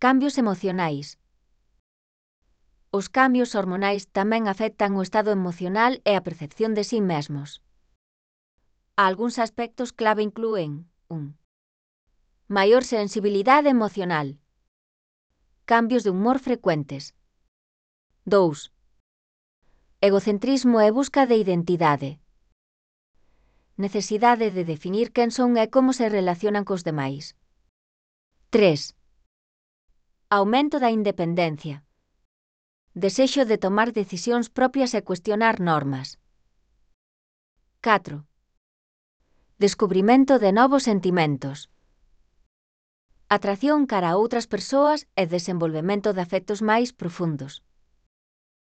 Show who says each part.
Speaker 1: Cambios emocionais. Os cambios hormonais tamén afectan o estado emocional e a percepción de si mesmos. Algúns aspectos clave inclúen 1. Maior sensibilidade emocional. Cambios de humor frecuentes. 2. Egocentrismo e busca de identidade. Necesidade de definir quen son e como se relacionan cos demais. 3. Aumento da independencia. Desexo de tomar decisións propias e cuestionar normas. 4. Descubrimento de novos sentimentos. Atracción cara a outras persoas e desenvolvemento de afectos máis profundos.